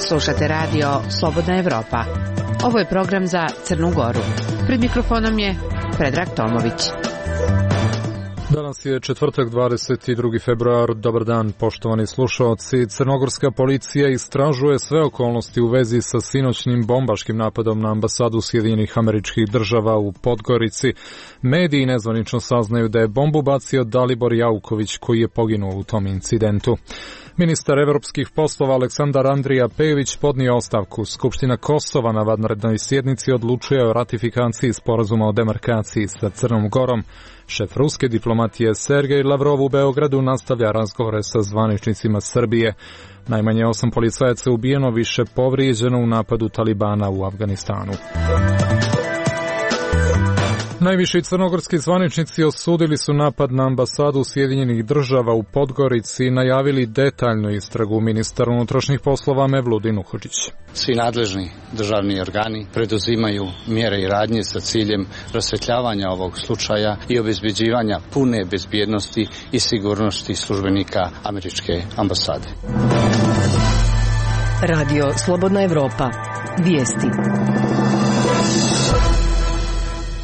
Slušate radio Slobodna Evropa. Ovo je program za Crnu Goru. Pred mikrofonom je Predrag Tomović. Danas je četvrtak, 22. februar. Dobar dan, poštovani slušaoci. Crnogorska policija istražuje sve okolnosti u vezi sa sinoćnim bombaškim napadom na ambasadu Sjedinjenih Američkih Država u Podgorici. Mediji nezvanično saznaju da je bombu bacio Dalibor Jauković, koji je poginuo u tom incidentu. Ministar evropskih poslova Aleksandar Andrija Pejović podnio ostavku. Skupština Kosova na vanrednoj sjednici odlučuje o ratifikaciji sporazuma o demarkaciji sa Crnom Gorom. Šef ruske diplomatije Sergej Lavrov u Beogradu nastavlja razgovore sa zvaničnicima Srbije. Najmanje 8 policajaca ubijeno, više povrijeđeno u napadu Talibana u Afganistanu. Najviši crnogorski zvaničnici osudili su napad na ambasadu Sjedinjenih Država u Podgorici i najavili detaljnu istragu. Ministar unutrašnjih poslova Mevludin Uhodžić. Svi nadležni državni organi preduzimaju mjere i radnje sa ciljem rasvetljavanja ovog slučaja i obezbeđivanja pune bezbjednosti i sigurnosti službenika američke ambasade. Radio Slobodna Evropa. Vijesti.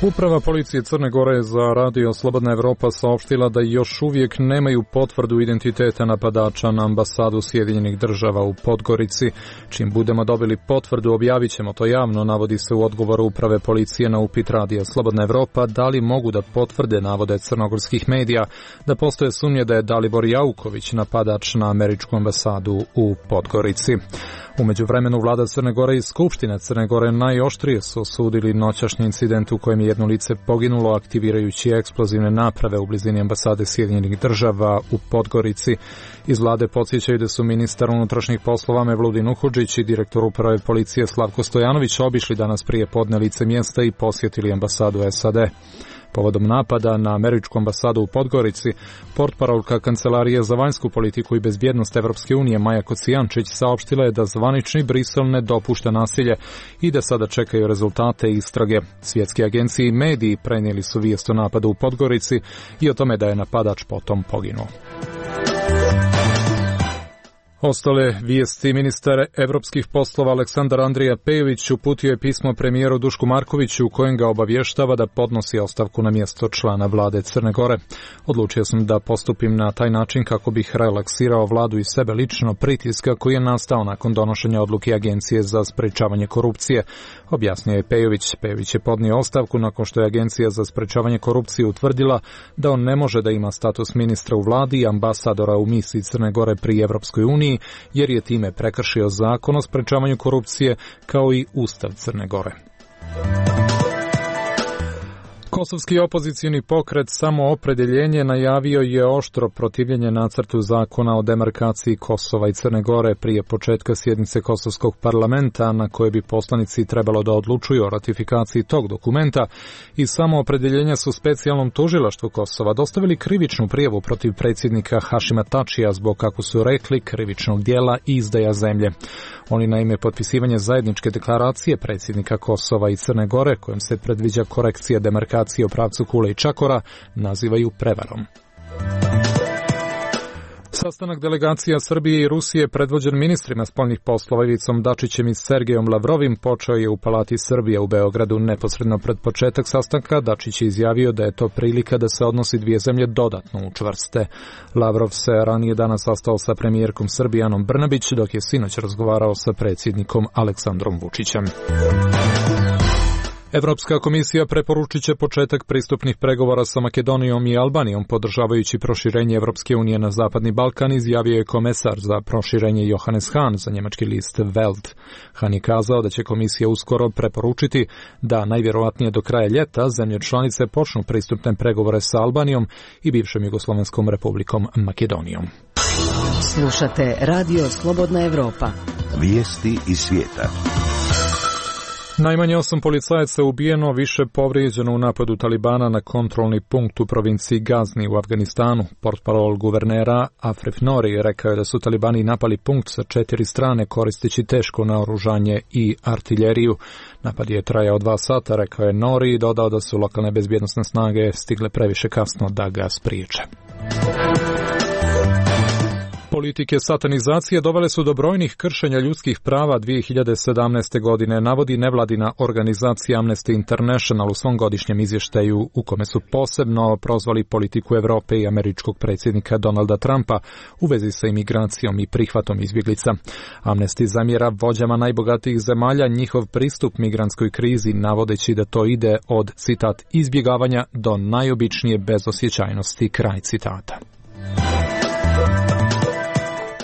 Uprava policije Crne Gore za radio Slobodna Evropa saopštila da još uvijek nemaju potvrdu identiteta napadača na ambasadu Sjedinjenih Država u Podgorici. Čim budemo dobili potvrdu, objavit ćemo to javno, navodi se u odgovoru uprave policije na upit radija Slobodna Evropa da li mogu da potvrde navode crnogorskih medija da postoje sumnje da je Dalibor Jauković napadač na američku ambasadu u Podgorici. U međuvremenu vlada Crne Gore i Skupština Crne Gore najoštrije su osudili noćašnji incident u kojem je jedno lice poginulo aktivirajući eksplozivne naprave u blizini ambasade Sjedinjenih Država u Podgorici. Iz vlade podsjećaju da su ministar unutrašnjih poslova Mevludin Uhodžić i direktor uprave policije Slavko Stojanović obišli danas prije podne lice mjesta i posjetili ambasadu SAD. Povodom napada na američku ambasadu u Podgorici, portparolka Kancelarije za vanjsku politiku i bezbjednost Evropske unije Maja Kocijančić saopštila je da zvanični Brisel ne dopušta nasilje i da sada čekaju rezultate istrage. Svjetske agencije i mediji prenijeli su vijest o napadu u Podgorici i o tome da je napadač potom poginuo. Ostale vijesti. Ministar evropskih poslova Aleksandar Andrija Pejović uputio je pismo premijeru Dušku Markoviću u kojem ga obavještava da podnosi ostavku na mjesto člana vlade Crne Gore. Odlučio sam da postupim na taj način kako bih relaksirao vladu i sebe lično pritiska koji je nastao nakon donošenja odluke Agencije za sprečavanje korupcije, objasnio je Pejović. Pejović je podnio ostavku nakon što je Agencija za sprečavanje korupcije utvrdila da on ne može da ima status ministra u vladi i ambasadora u misiji Crne Gore pri Evropskoj uniji, jer je time prekršio zakon o sprečavanju korupcije kao i Ustav Crne Gore. Kosovski opozicijni pokret Samoopredeljenje najavio je oštro protivljenje nacrtu zakona o demarkaciji Kosova i Crne Gore prije početka sjednice Kosovskog parlamenta na koje bi poslanici trebalo da odlučuju o ratifikaciji tog dokumenta. I Samoopredeljenja su specijalnom tužilaštvu Kosova dostavili krivičnu prijavu protiv predsjednika Hašima Tačija zbog, kako su rekli, krivičnog dijela i izdaja zemlje. Oni naime potpisivanje zajedničke deklaracije predsjednika Kosova i Crne Gore, kojom se predviđa korekcija demarkacije u pravcu Kule i Čakora, nazivaju prevarom. Sastanak delegacija Srbije i Rusije predvođen ministrima spoljnih poslova Ivicom Dačićem i Sergejom Lavrovim počeo je u Palati Srbije u Beogradu. Neposredno pred početak sastanka Dačić je izjavio da je to prilika da se odnosi dvije zemlje dodatno učvrste. Lavrov se ranije danas sastao sa premijerkom Srbije Anom Brnabić, dok je sinoć razgovarao sa predsjednikom Aleksandrom Vučićem. Evropska komisija preporučit će početak pristupnih pregovora sa Makedonijom i Albanijom, podržavajući proširenje Evropske unije na Zapadni Balkan, izjavio je komesar za proširenje Johannes Hahn za njemački list Welt. Hahn je kazao da će komisija uskoro preporučiti da najvjerojatnije do kraja ljeta zemlje članice počnu pristupne pregovore sa Albanijom i bivšom Jugoslovenskom republikom Makedonijom. Slušate Radio Slobodna Evropa. Vijesti iz svijeta. Najmanje 8 policajaca ubijeno, više povrijeđeno u napadu Talibana na kontrolni punkt u provinciji Gazni u Afganistanu. Portparol guvernera Afref Nori rekao je da su Talibani napali punkt sa 4 strane koristeći teško naoružanje i artiljeriju. Napad je trajao 2 sata, rekao je Nori, i dodao da su lokalne bezbjednosne snage stigle previše kasno da ga spriječe. Politike satanizacije dovele su do brojnih kršenja ljudskih prava 2017. godine, navodi nevladina organizacija Amnesty International u svom godišnjem izvještaju, u kome su posebno prozvali politiku Europe i američkog predsjednika Donalda Trumpa u vezi sa imigracijom i prihvatom izbjeglica. Amnesty zamjera vođama najbogatijih zemalja njihov pristup migrantskoj krizi, navodeći da to ide od, citat, izbjegavanja do najobičnije bezosjećajnosti, kraj citata.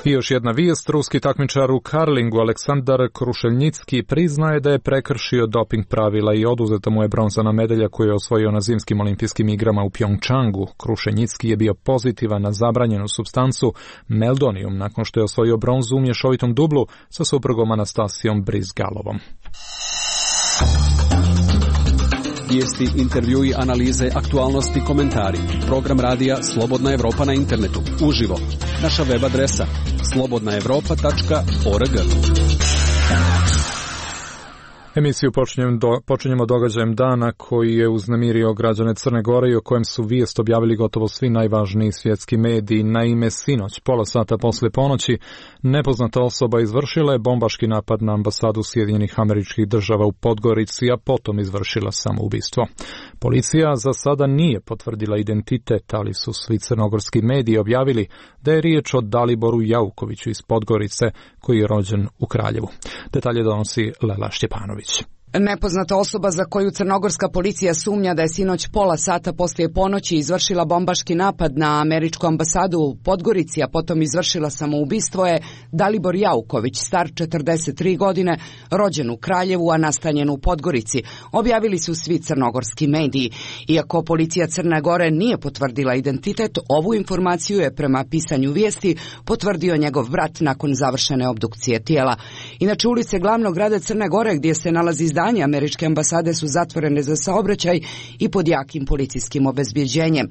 I još jedna vijest, ruski takmičar u karlingu Aleksandar Krušeljnicki priznaje da je prekršio doping pravila i oduzeta mu je bronzana medalja koju je osvojio na zimskim olimpijskim igrama u Pjongčangu. Krušeljnicki je bio pozitivan na zabranjenu supstancu meldonium nakon što je osvojio bronzu u mješovitom dublu sa suprugom Anastasijom Brizgalovom. Vijesti, intervjui, analize, aktualnosti, komentari. Program radija Slobodna Evropa na internetu. Uživo. Naša web adresa slobodnaevropa.org. Emisiju počinjemo događajem dana koji je uznemirio građane Crne Gore i o kojem su vijest objavili gotovo svi najvažniji svjetski mediji. Naime, sinoć, pola sata poslije ponoći, nepoznata osoba izvršila je bombaški napad na ambasadu Sjedinjenih Američkih Država u Podgorici, a potom izvršila samoubistvo. Policija za sada nije potvrdila identitet, ali su svi crnogorski mediji objavili da je riječ o Daliboru Jaukoviću iz Podgorice, koji je rođen u Kraljevu. Detalje donosi Lela Štjepanović. Nepoznata osoba za koju crnogorska policija sumnja da je sinoć pola sata poslije ponoći izvršila bombaški napad na američku ambasadu u Podgorici, a potom izvršila samoubistvo je Dalibor Jauković, star 43 godine, rođen u Kraljevu, a nastanjen u Podgorici, objavili su svi crnogorski mediji. Iako policija Crne Gore nije potvrdila identitet, ovu informaciju je prema pisanju vijesti potvrdio njegov brat nakon završene obdukcije tijela. Inače, ulice glavnog grada Crne Gore gdje se nalazi zdanje američke ambasade su zatvorene za saobraćaj i pod jakim policijskim obezbjeđenjem.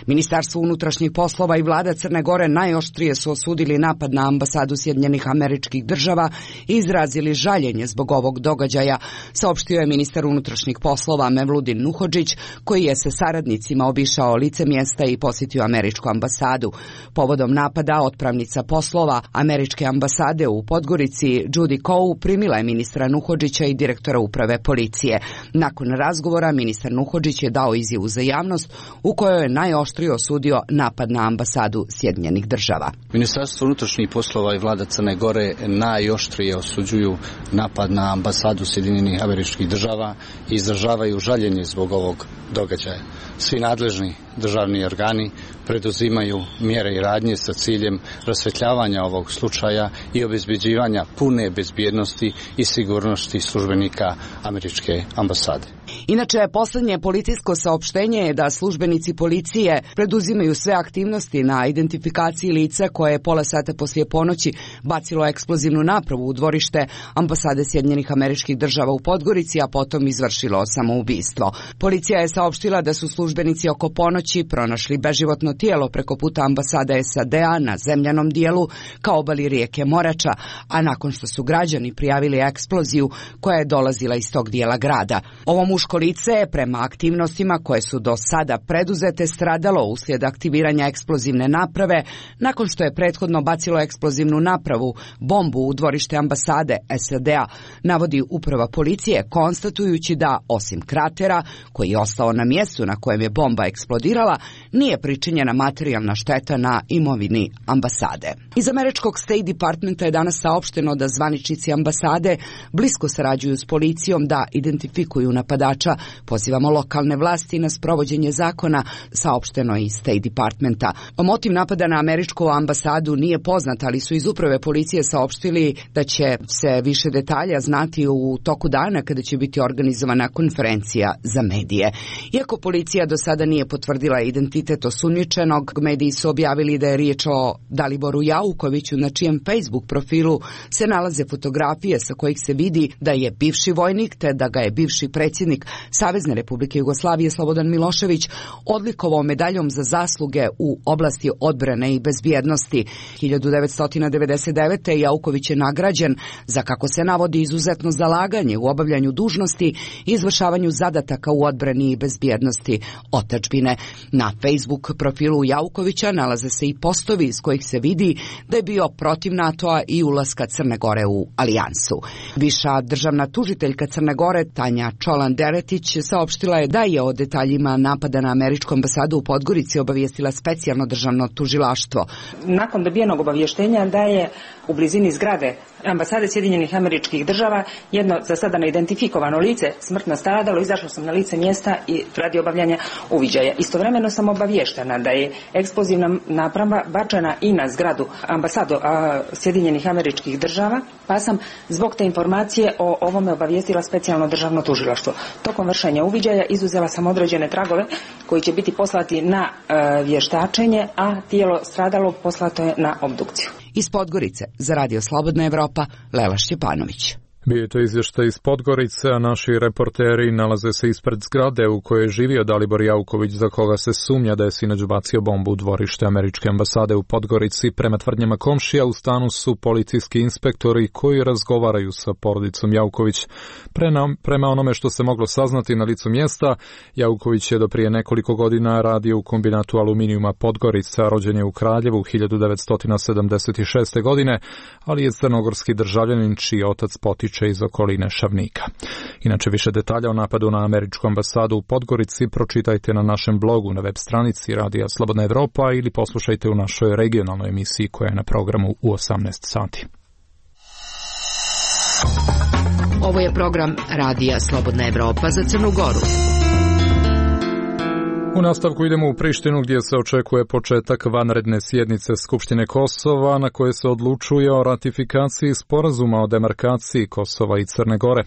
Ministarstvo unutrašnjih poslova i vlada Crne Gore najoštrije su osudili napad na ambasadu Sjedinjenih Američkih Država i izrazili žaljenje zbog ovog događaja, saopštio je ministar unutrašnjih poslova Mevludin Nuhodžić, koji je sa saradnicima obišao lice mjesta i posjetio američku ambasadu. Povodom napada otpravnica poslova američke ambasade u Podgorici Judy Coe primila je ministra Nuhodžića i direktora uprave policije. Nakon razgovora ministar Nuhodžić je dao izjavu za javnost u kojoj je najoštrije osudio napad na ambasadu Sjedinjenih Država. Ministarstvo unutrašnjih poslova i vlada Crne Gore najoštrije osuđuju napad na ambasadu Sjedinjenih Američkih Država i izražavaju žaljenje zbog ovog događaja. Svi nadležni državni organi preduzimaju mjere i radnje sa ciljem rasvjetljavanja ovog slučaja i obezbeđivanja pune bezbjednosti i sigurnosti službenika američke ambasade. Inače, posljednje policijsko saopštenje je da službenici policije preduzimaju sve aktivnosti na identifikaciji lica koje je pola sata poslije ponoći bacilo eksplozivnu napravu u dvorište ambasade Sjedinjenih Američkih Država u Podgorici, a potom izvršilo samoubistvo. Policija je saopštila da su službenici oko ponoći pronašli beživotno tijelo preko puta ambasade SAD-a na zemljanom dijelu ka obali rijeke Morača, a nakon što su građani prijavili eksploziju koja je dolazila iz tog dijela grada. Ovo muško lice je prema aktivnostima koje su do sada preduzete stradalo uslijed aktiviranja eksplozivne naprave nakon što je prethodno bacilo eksplozivnu napravu, bombu u dvorište ambasade SAD-a, navodi uprava policije, konstatujući da, osim kratera koji je ostao na mjestu na kojem je bomba eksplodirala, nije pričinjena materijalna šteta na imovini ambasade. Iz američkog State Departmenta je danas saopšteno da zvaničnici ambasade blisko sarađuju s policijom da identifikuju napadače napadača. Pozivamo lokalne vlasti na sprovođenje zakona, saopšteno iz State Departmenta. Motiv napada na američku ambasadu nije poznat, ali su iz uprave policije saopštili da će se više detalja znati u toku dana kada će biti organizovana konferencija za medije. Iako policija do sada nije potvrdila identitet osumnjičenog, mediji su objavili da je riječ o Daliboru Jaukoviću, na čijem Facebook profilu se nalaze fotografije sa kojih se vidi da je bivši vojnik, te da ga je bivši predsjednik Savezne Republike Jugoslavije Slobodan Milošević odlikovao medaljom za zasluge u oblasti odbrane i bezbjednosti. 1999. Jauković je nagrađen za, kako se navodi, izuzetno zalaganje u obavljanju dužnosti i izvršavanju zadataka u odbrani i bezbjednosti otadžbine. Na Facebook profilu Jaukovića nalaze se i postovi iz kojih se vidi da je bio protiv NATO-a i ulaska Crne Gore u alijansu. Viša državna tužiteljka Crne Gore Tanja Čolan-Deretić saopštila je da je o detaljima napada na američku ambasadu u Podgorici obavijestila specijalno državno tužilaštvo. Nakon dobijenog obavještenja da je u blizini zgrade ambasade Sjedinjenih Američkih Država jedno za sada neidentifikovano lice smrtno stradalo, izašla sam na lice mjesta i radi obavljanja uviđaja. Istovremeno sam obavještena da je eksplozivna naprava bačena i na zgradu ambasadu Sjedinjenih Američkih Država, pa sam zbog te informacije o ovome obavijestila specijalno državno tužilaštvo. Tokom vršenja uviđaja izuzela sam određene tragove koji će biti poslati na vještačenje, a tijelo stradalog poslato je na obdukciju. Iz Podgorice za Radio Slobodna Evropa, Lela Šćepanović. Bio je to izvještaj iz Podgorice, a naši reporteri nalaze se ispred zgrade u kojoj je živio Dalibor Jauković, za koga se sumnja da je sinoć bacio bombu u dvorište američke ambasade u Podgorici. Prema tvrdnjama komšija, u stanu su policijski inspektori koji razgovaraju sa porodicom Jauković. Prema onome što se moglo saznati na licu mjesta, Jauković je do prije nekoliko godina radio u kombinatu aluminijuma Podgorica, rođen je u Kraljevu 1976. godine, ali je crnogorski državljanin čiji otac potiče iz okoline Šavnika. Inače, više detalja o napadu na američku ambasadu u Podgorici pročitajte na našem blogu na web stranici Radija Slobodna Evropa ili poslušajte u našoj regionalnoj emisiji koja je na programu u 18 sati. Ovo je program Radija Slobodna Evropa za Crnu Goru. U nastavku idemo u Prištinu gdje se očekuje početak vanredne sjednice Skupštine Kosova na koje se odlučuje o ratifikaciji sporazuma o demarkaciji Kosova i Crne Gore.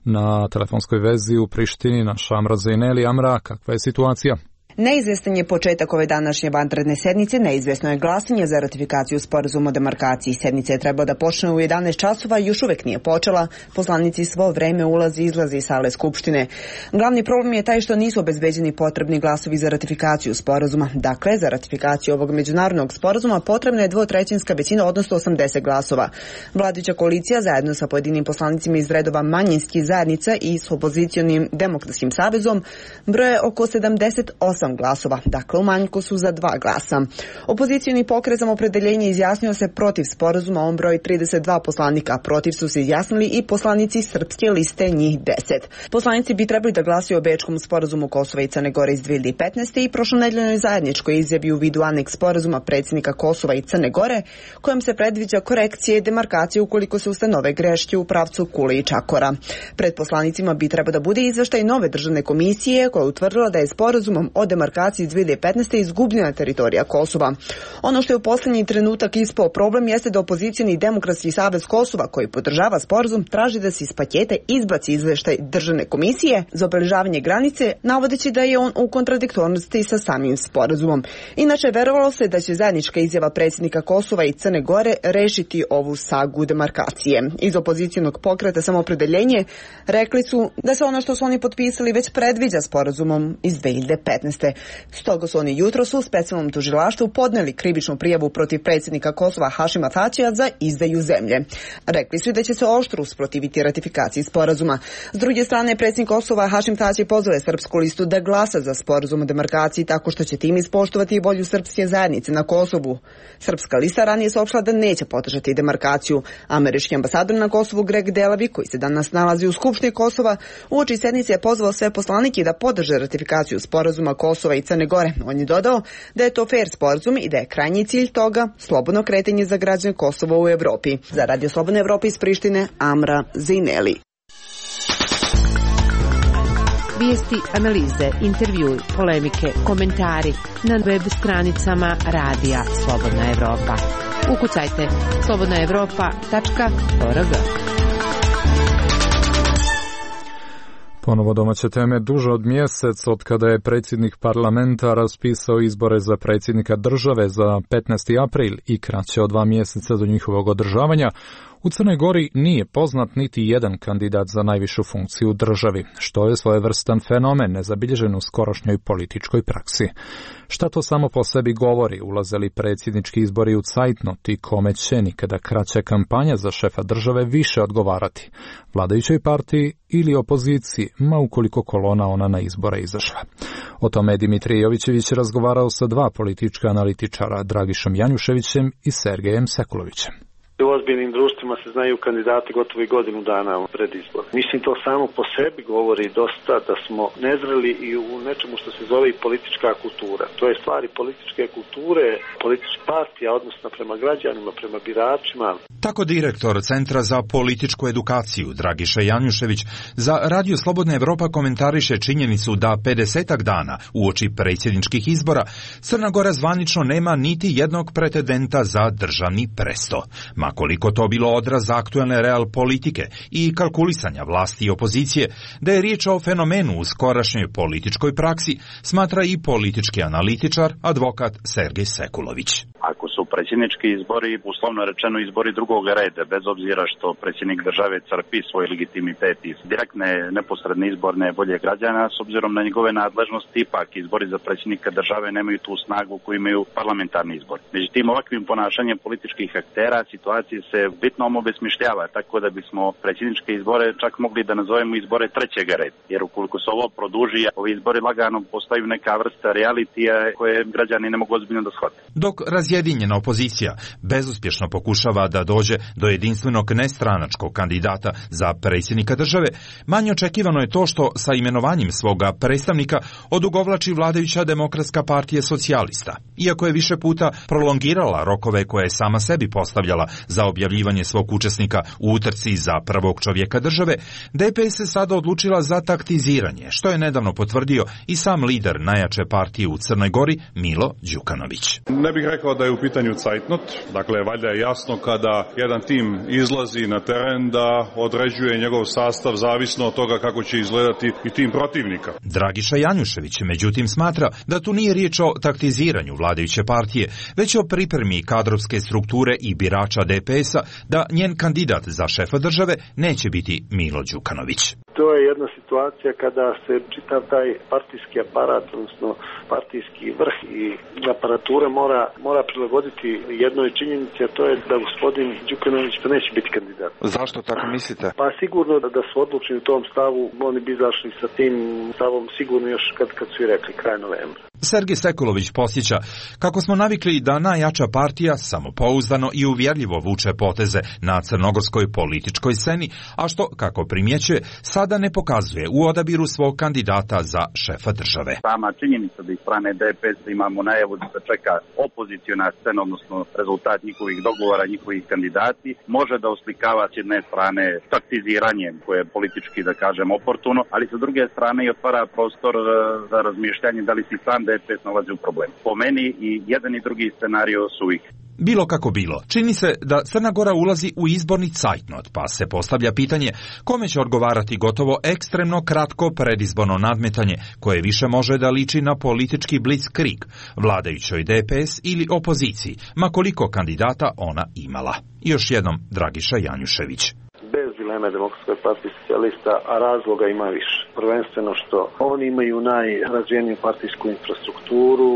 Na telefonskoj vezi u Prištini naša Amra Zejneli. Amra, kakva je situacija? Neizvjestan je početak ove današnje vanredne sednice, neizvjesno je glasanje za ratifikaciju sporazuma o demarkaciji. Sednica je trebala da počne u 11 časova i još uvijek nije počela. Poslanici svo vreme ulazi i izlazi iz sale Skupštine. Glavni problem je taj što nisu obezbeđeni potrebni glasovi za ratifikaciju sporazuma. Dakle, za ratifikaciju ovog međunarodnog sporazuma potrebna je dvotrećinska većina, odnosno 80 glasova. Vladajuća koalicija zajedno sa pojedinim poslanicima iz redova manjinskih zajednica i s opozicionim demokratskim savezom broje oko 78 glasova, dakle u manjku su za 2 glasa. Opozicioni pokret za opredeljenje izjasnio se protiv sporazuma, on broji 32 poslanika, a protiv su se izjasnili i poslanici Srpske liste, njih 10. Poslanici bi trebali da glasuju o Bečkom sporazumu Kosova i Crne Gore iz 2015. i prošlonedeljnoj zajedničkoj izjavi u vidu aneks sporazuma predsjednika Kosova i Crne Gore, kojom se predviđa korekcije i demarkacije ukoliko se ustanove greške u pravcu Kule i Čakora. Pred poslanicima bi trebao da bude izveštaj nove državne komisije koja je utvrdila da je sporazumom o demarkaciji iz 2015. izgubljena teritorija Kosova. Ono što je u posljednji trenutak ispao problem jeste da opozicioni demokratski savez Kosova, koji podržava sporazum, traži da se iz paketa izbaci izveštaj državne komisije za obeležavanje granice, navodeći da je on u kontradiktornosti sa samim sporazumom. Inače, verovalo se da će zajednička izjava predsjednika Kosova i Crne Gore rešiti ovu sagu demarkacije. Iz opozicijonog pokreta Samoopredeljenje rekli su da se ono što su oni potpisali već predviđa sporazumom iz 2015. Stoga su oni jutros u specijalnom tužilaštvu podneli krivičnu prijavu protiv predsjednika Kosova Hašima Tačija za izdaju zemlje. Rekli su da će se oštro usprotiviti ratifikaciji sporazuma. S druge strane, predsjednik Kosova Hašim Tači pozove Srpsku listu da glasa za sporazum o demarkaciji tako što će tim ispoštovati volju srpske zajednice na Kosovu. Srpska lista ranije saopštila da neće podržati demarkaciju. Američki ambasador na Kosovu Greg Delavi, koji se danas nalazi u Skupštini Kosova, uoči sednice je pozvao sve poslanike da podrže ratifikaciju sporazuma Kosova i Crne Gore. On je dodao da je to fair sporazum i da je krajnji cilj toga slobodno kretanje za građane Kosova u Evropi. Za Radio Slobodna Evropa iz Prištine, Amra Zejneli. Vijesti, analize, intervjui, polemike, komentari na web stranicama Radija Slobodna Evropa. Ukucajte slobodnaevropa.org. Ponovo domaće teme. Duže od mjesec od kada je predsjednik parlamenta raspisao izbore za predsjednika države za 15. april i kraće od 2 mjeseca do njihovog održavanja, u Crnoj Gori nije poznat niti jedan kandidat za najvišu funkciju u državi, što je svojevrstan fenomen nezabilježen u skorošnjoj političkoj praksi. Šta to samo po sebi govori, ulaze li predsjednički izbori u cajtnot i kome će nikada kraća kampanja za šefa države više odgovarati, vladajućoj partiji ili opoziciji, ma ukoliko kolona ona na izbore izašla. O tome je Dimitrij Jovićević razgovarao sa 2 politička analitičara, Dragišom Janjuševićem i Sergejem Sekulovićem. U ozbiljnim društvima se znaju kandidati gotovo i godinu dana pred izbor. Mislim, to samo po sebi govori dosta da smo nezreli i u nečemu što se zove i politička kultura. To je stvari političke kulture, politička partija, odnosno prema građanima, prema biračima. Tako direktor Centra za političku edukaciju Dragiša Janjušević za Radio Slobodna Evropa komentariše činjenicu da 50-ak dana uoči predsjedničkih izbora Crna Gora zvanično nema niti jednog pretendenta za državni presto. Koliko to bilo odraz aktuelne real politike i kalkulisanja vlasti i opozicije, da je riječ o fenomenu u skorašnjoj političkoj praksi, smatra i politički analitičar, advokat Sergej Sekulović. Ako su predsjednički izbori, uslovno rečeno izbori drugog reda, bez obzira što predsjednik države crpi svoj legitimitet iz direktne neposredne izborne volje građana, s obzirom na njegove nadležnosti, ipak izbori za predsjednika države nemaju tu snagu koju imaju parlamentarni izbori. Međutim, ovakvim ponašanjem političkih aktera situacija se bitno obesmišljava, tako da bismo predsjedničke izbore čak mogli da nazovemo izbore trećega reda. Jer ukoliko se ovo produži, ovi izbori lagano postaju neka vrsta realitija koje građani ne mogu ozbiljno da shvate. Dok razjedinjena opozicija bezuspješno pokušava da dođe do jedinstvenog nestranačkog kandidata za predsjednika države, manje očekivano je to što sa imenovanjem svoga predstavnika odugovlači vladajuća Demokratska partija socijalista. Iako je više puta prolongirala rokove koje je sama sebi postavljala za objavljivanje svog učesnika u utrci za prvog čovjeka države, DPS se sada odlučila za taktiziranje, što je nedavno potvrdio i sam lider najjače partije u Crnoj Gori, Milo Đukanović. Ne bih rekao da je u pitanju cajtnot, dakle valjda je jasno kada jedan tim izlazi na teren da određuje njegov sastav zavisno od toga kako će izgledati i tim protivnika. Dragiša Janjušević međutim smatra da tu nije riječ o taktiziranju vladajuće partije, već o pripremi kadrovske strukture i birača DPS-a da njen kandidat za šefa države neće biti Milo Đukanović. To je jedna situacija kada se čitav taj partijski aparat, odnosno partijski vrh i aparatura mora prilagoditi jednoj činjenici, a to je da gospodin Đukanović pa neće biti kandidat. Zašto tako mislite? Pa sigurno da su odlučeni u tom stavu, oni bi izašli sa tim stavom sigurno još kad su i rekli kraj novembra. Sergej Sekulović posjeća kako smo navikli da najjača partija samopouzdano i uvjerljivo vuče poteze na crnogorskoj političkoj sceni, a što, kako primjećuje, sada ne pokazuje u odabiru svog kandidata za šefa države. Sama činjenica da iz strane DPS imamo najavu da se čeka opoziciona scena, odnosno rezultat njihovih dogovora, njihovih kandidati, može da oslikava s jedne strane taktiziranjem koje je politički, da kažem, oportuno, ali sa druge strane i otvara prostor za razmišljanje da li si sam DPS nalazi u problemu. Po meni i jedan i drugi scenario su ih. Bilo kako bilo, čini se da Crna Gora ulazi u izborni cajtnot, pa se postavlja pitanje kome će odgovarati gotovo ekstremno kratko predizborno nadmetanje, koje više može da liči na politički blitzkrieg, vladajućoj DPS ili opoziciji, ma koliko kandidata ona imala. Još jednom Dragiša Janjušević. Bez dileme Demokratskoj partiji socijalista, a razloga ima više. Prvenstveno što oni imaju najrazvijeniju partijsku infrastrukturu,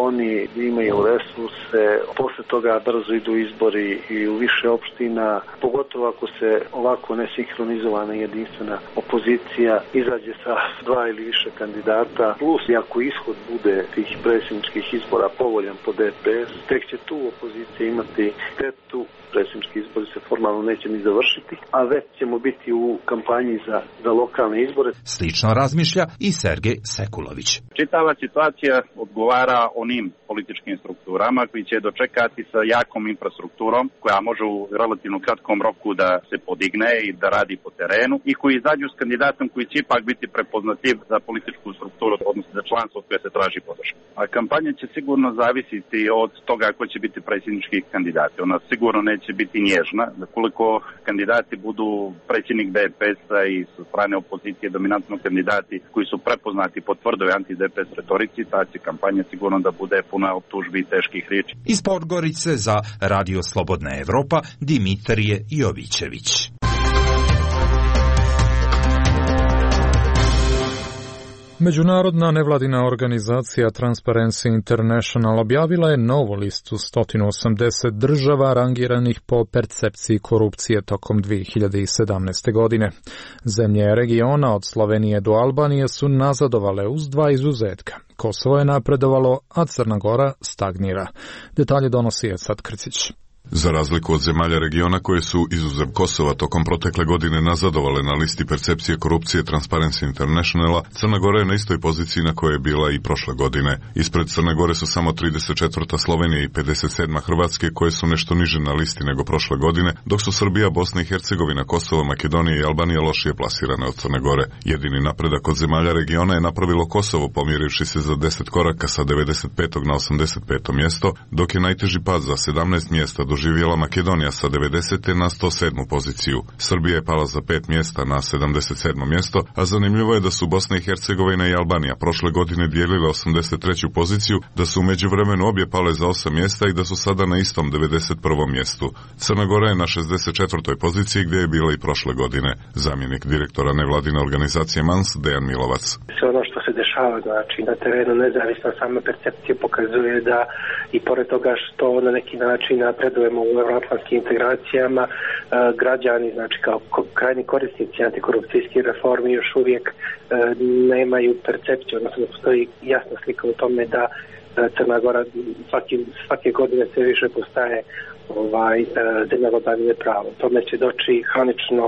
oni imaju resurse, posle toga brzo idu izbori i u više opština, pogotovo ako se ovako nesinhronizovana jedinstvena opozicija izađe sa 2 ili više kandidata, plus i ako ishod bude tih predsjedničkih izbora povoljan po DPS, tek će tu opozicija imati tetu, predsjednički izbori se formalno neće ni završiti, a već česti ćemo biti u kampanji za lokalne izbore. Slično razmišlja i Sergej Sekulović. Čitava situacija odgovara onim političkim strukturama koji će dočekati sa jakom infrastrukturom koja može u relativno kratkom roku da se podigne i da radi po terenu i koji izađu s kandidatom koji će ipak biti prepoznatljiv za političku strukturu, odnosno za članstvo koje se traži podrška. A kampanja će sigurno zavisiti od toga ko će biti predsjednički kandidati. Ona sigurno neće biti nježna. Koliko kandidati budu predsjednik DPS-a i sa strane opozicije dominantno kandidati koji su prepoznati po tvrdoj anti-DPS retorici, ta će kampanja sigurno da bude puna optužbi i teških riječi. Iz Podgorice za Radio Slobodna Evropa Dimitrije Jovićević. Međunarodna nevladina organizacija Transparency International objavila je novu listu 180 država rangiranih po percepciji korupcije tokom 2017. godine. Zemlje regiona od Slovenije do Albanije su nazadovale uz dva izuzetka. Kosovo je napredovalo, a Crna Gora stagnira. Detalje donosi Esad Krcić. Za razliku od zemalja regiona koje su izuzev Kosova tokom protekle godine nazadovale na listi percepcije korupcije Transparency Internationala, Crna Gora je na istoj poziciji na kojoj je bila i prošle godine. Ispred Crne Gore su samo 34. Slovenija i 57. Hrvatske koje su nešto niže na listi nego prošle godine, dok su Srbija, Bosna i Hercegovina, Kosovo, Makedonija i Albanija lošije plasirane od Crne Gore. Jedini napredak od zemalja regiona je napravilo Kosovo, pomjerivši se za 10 koraka sa 95. na 85. mjesto, dok je najteži pad za 17 mjesta doživjela Makedonija sa 90. na 107. poziciju. Srbija je pala za 5 mjesta na 77. mjesto, a zanimljivo je da su Bosna i Hercegovina i Albanija prošle godine dijelile 83. poziciju, da su u međuvremenu obje pale za 8 mjesta i da su sada na istom 91. mjestu. Crna Gora je na 64. poziciji gdje je bila i prošle godine. Zamjenik direktora nevladine organizacije MANS Dejan Milovac. Sve ono što se dešava, znači na terenu nezavisno same percepcije pokazuje da i pored toga što na neki način napredujemo u euroatlantskim integracijama, građani, znači kao krajni korisnici antikorupcijskih reformi još uvijek nemaju percepciju, odnosno postoji jasna slika u tome da Crna Gora svake godine sve više postaje zemlja vladavine prava. Tome će doći hronično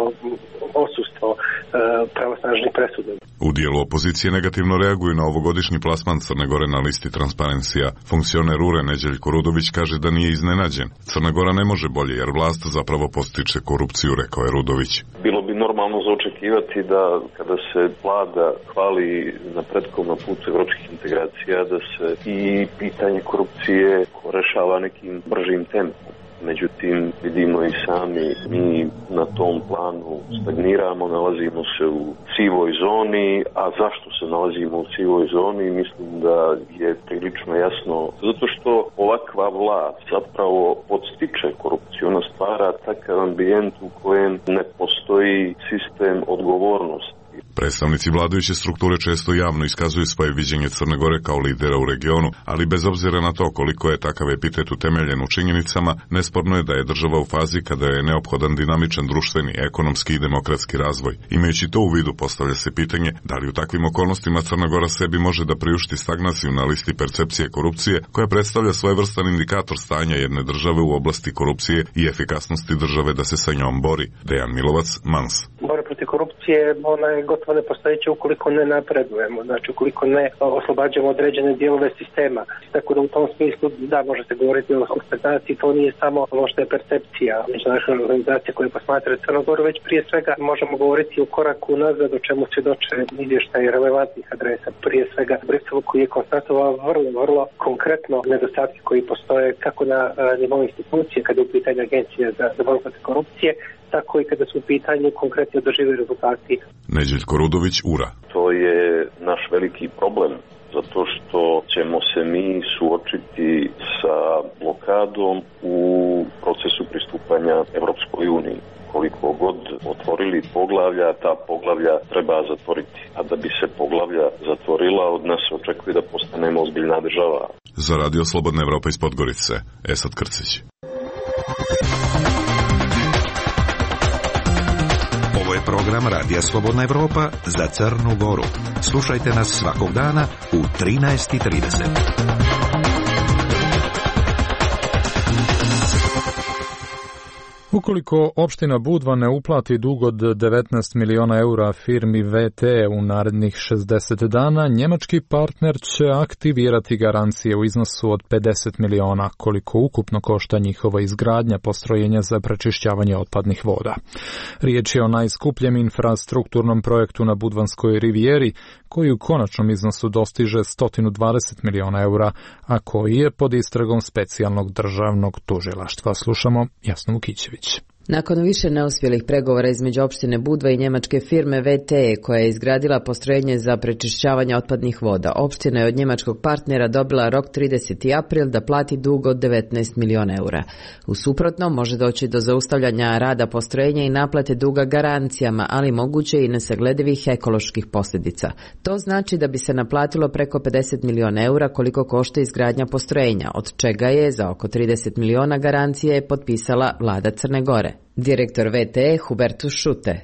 odsustvo pravosnažnih presuda. U dijelu opozicije negativno reaguju na ovogodišnji plasman Crne Gore na listi Transparencija. Funkcioner URE Neđeljko Rudović kaže da nije iznenađen. Crna Gora ne može bolje jer vlast zapravo postiče korupciju, rekao je Rudović. Bilo bi normalno za očekivati da kada se vlada hvali napretkom na putu evropskih integracija, da se i pitanje korupcije rešava nekim bržim tempom. Međutim, vidimo i sami, mi na tom planu stagniramo, nalazimo se u sivoj zoni, a zašto se nalazimo u sivoj zoni, mislim da je prilično jasno. Zato što ovakva vlast zapravo podstiče korupciju, ona stvara takav ambijent u kojem ne postoji sistem odgovornosti. Predstavnici vladajuće strukture često javno iskazuju svoje viđenje Crne Gore kao lidera u regionu, ali bez obzira na to koliko je takav epitet utemeljen u činjenicama, nesporno je da je država u fazi kada je neophodan dinamičan društveni, ekonomski i demokratski razvoj. Imajući to u vidu, postavlja se pitanje da li u takvim okolnostima Crna Gora sebi može da priušti stagnaciju na listi percepcije korupcije, koja predstavlja svojevrstan indikator stanja jedne države u oblasti korupcije i efikasnosti države da se sa njom bori. Dejan Milovac, MANS. Borba protiv korupcije, ona je gotovo nepostojeća ukoliko ne napredujemo, znači ukoliko ne oslobađamo određene dijelove sistema. Tako da u tom smislu, da, može se govoriti o stagnaciji, to nije samo ono što je percepcija međunarodne organizacije koje posmatraju Crnu Goru, već prije svega možemo govoriti o koraku nazad, o čemu svjedoče izvještaji relevantnih adresa. Prije svega Briselu koji je konstatovao vrlo konkretno nedostatke koji postoje kako na nivou institucije, kada je u pitanju agencije za borbu protiv korupcije, tako i kada su u pitanju konkretni održivi rezultati. Neđeljko Rudović, URA. To je naš veliki problem, zato što ćemo se mi suočiti sa blokadom u procesu pristupanja Evropskoj uniji. Koliko god otvorili poglavlja, ta poglavlja treba zatvoriti. A da bi se poglavlja zatvorila, od nas očekuje da postanemo ozbiljna država. Za Radio Slobodna Evropa iz Podgorice, Esad Krcić. Ovo je program Radija Slobodna Evropa za Crnu Goru. Slušajte nas svakog dana u 13:30. Ukoliko opština Budva ne uplati dug od 19 miliona eura firmi VT u narednih 60 dana, njemački partner će aktivirati garancije u iznosu od 50 miliona, koliko ukupno košta njihova izgradnja postrojenja za prečišćavanje otpadnih voda. Riječ je o najskupljem infrastrukturnom projektu na Budvanskoj rivijeri, koji u konačnom iznosu dostiže 120 miliona eura, a koji je pod istragom specijalnog državnog tužilaštva. Slušamo Jasnu Vukićević. Nakon više neuspjelih pregovora između opštine Budva i njemačke firme VT, koja je izgradila postrojenje za prečišćavanje otpadnih voda, opština je od njemačkog partnera dobila rok 30. april da plati dug od 19 miliona eura. U suprotnom može doći do zaustavljanja rada postrojenja i naplate duga garancijama, ali moguće i nesagledivih ekoloških posljedica. To znači da bi se naplatilo preko 50 miliona eura koliko košta izgradnja postrojenja, od čega je za oko 30 miliona garancije potpisala vlada Crne Gore. Direktor VTE Hubertus Schutte.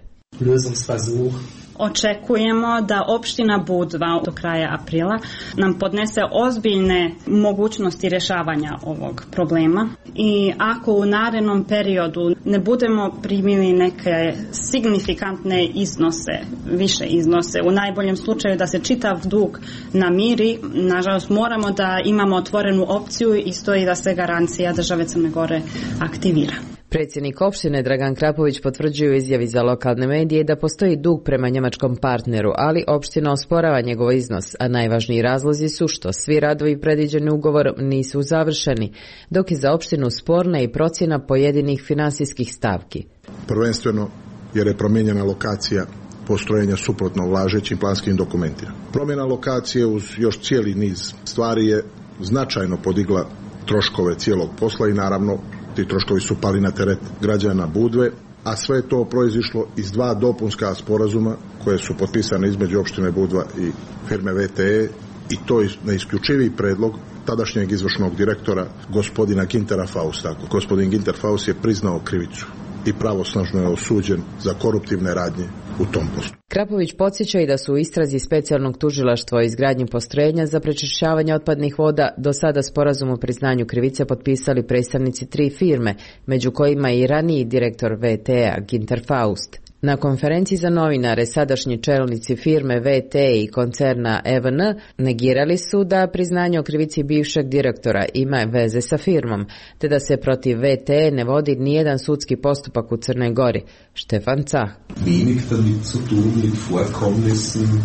Očekujemo da opština Budva do kraja aprila nam podnese ozbiljne mogućnosti rješavanja ovog problema i ako u narednom periodu ne budemo primili neke signifikantne iznose, više iznose, u najboljem slučaju da se čitav dug namiri, nažalost moramo da imamo otvorenu opciju i stoji da se garancija države Crne Gore aktivira. Predsjednik opštine Dragan Krapović potvrđuje u izjavi za lokalne medije da postoji dug prema njemačkom partneru, ali opština osporava njegov iznos, a najvažniji razlozi su što svi radovi predviđeni ugovorom nisu završeni, dok je za opštinu sporna i procjena pojedinih finansijskih stavki. Prvenstveno jer je promijenjena lokacija postrojenja suprotno važećim planskim dokumentima. Promjena lokacije uz još cijeli niz stvari je značajno podigla troškove cijelog posla i naravno ti troškovi su pali na teret građana Budve, a sve je to proizišlo iz dva dopunska sporazuma koje su potpisane između opštine Budva i firme VTE i to je neisključiviji predlog tadašnjeg izvršnog direktora gospodina Gintera Fausta. Gospodin Ginter Faust je priznao krivicu i pravosnažno je osuđen za koruptivne radnje u tom postupku. Krapović podsjeća i da su u istrazi specijalnog tužilaštva o izgradnji postrojenja za prečišćavanje otpadnih voda do sada sporazum o priznanju krivice potpisali predstavnici 3 firme, među kojima i raniji direktor VT-a Ginter Faust. Na konferenciji za novinare sadašnji čelnici firme VT i koncerna EVN negirali su da priznanje o krivici bivšeg direktora ima veze sa firmom, te da se protiv VT ne vodi nijedan sudski postupak u Crnoj Gori. Štefan Cah.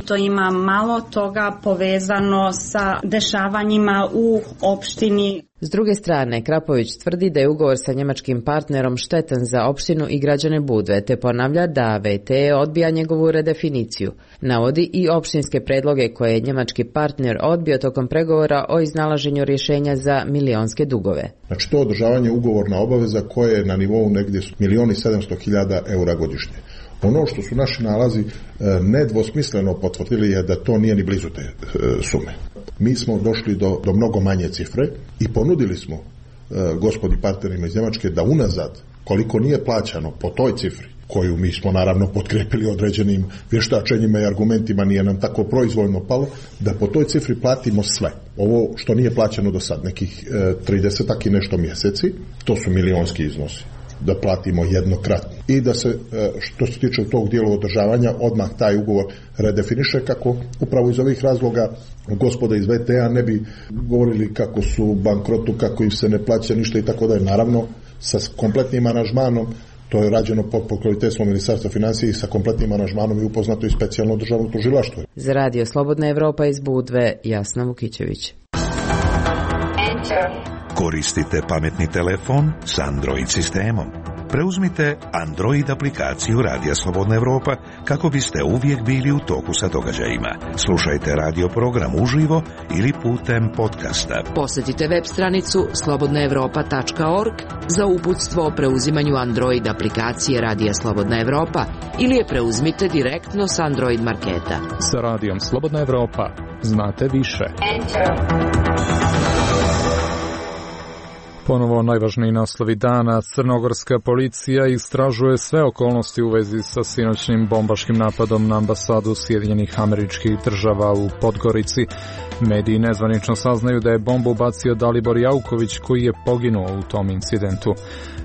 To ima malo toga povezano sa dešavanjima u opštini. S druge strane, Krapović tvrdi da je ugovor sa njemačkim partnerom štetan za opštinu i građane Budve, te ponavlja da VT odbija njegovu redefiniciju. Navodi i opštinske predloge koje je njemački partner odbio tokom pregovora o iznalaženju rješenja za milionske dugove. Znači to održavanje ugovorna obaveza koje je na nivou negdje 1.700.000 eura godišnje. Ono što su naši nalazi nedvosmisleno potvrdili je da to nije ni blizu te sume. Mi smo došli do mnogo manje cifre i ponudili smo gospodi partnerima iz Njemačke da unazad, koliko nije plaćano po toj cifri, koju mi smo naravno potkrepili određenim vještačenjima i argumentima, nije nam tako proizvoljno palo, da po toj cifri platimo sve. Ovo što nije plaćano do sad, nekih 30 i nešto mjeseci, to su milionski iznosi. Da platimo jednokratno i da se, što se tiče tog dijela održavanja, odmah taj ugovor redefiniše kako upravo iz ovih razloga gospoda iz VTA ne bi govorili kako su u bankrotu, kako im se ne plaća ništa i tako da je naravno sa kompletnim aranžmanom. To je rađeno pod pokroviteljstvom Ministarstva financija i sa kompletnim aranžmanom i upoznato i specijalno državno tužilaštvo. Za Radio Slobodna Evropa iz Budve, Jasna Vukićević. Koristite pametni telefon s Android sistemom. Preuzmite Android aplikaciju Radija Slobodna Evropa kako biste uvijek bili u toku sa događajima. Slušajte radio program uživo ili putem podcasta. Posjetite web stranicu slobodnaevropa.org za uputstvo o preuzimanju Android aplikacije Radija Slobodna Evropa ili je preuzmite direktno s Android marketa. Sa Radijom Slobodna Evropa znate više. Ponovo najvažniji naslovi dana. Crnogorska policija istražuje sve okolnosti u vezi sa sinoćnim bombaškim napadom na ambasadu Sjedinjenih Američkih Država u Podgorici. Mediji nezvanično saznaju da je bombu bacio Dalibor Jauković koji je poginuo u tom incidentu.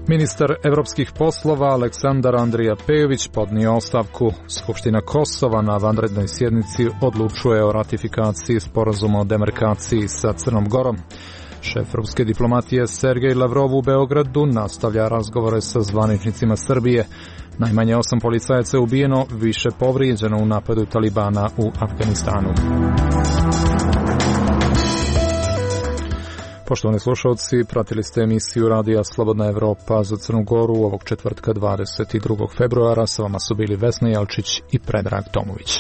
Ministar evropskih poslova Aleksandar Andrija Pejović podnio ostavku. Skupština Kosova na vanrednoj sjednici odlučuje o ratifikaciji sporazuma o demarkaciji sa Crnom Gorom. Šef ruske diplomatije Sergej Lavrov u Beogradu nastavlja razgovore sa zvaničnicima Srbije. Najmanje 8 policajaca je ubijeno, više povrijeđeno u napadu Talibana u Afganistanu. Poštovani slušalci, pratili ste emisiju Radija Slobodna Evropa za Crnu Goru ovog četvrtka 22. februara. Sa vama su bili Vesna Jelčić i Predrag Tomović.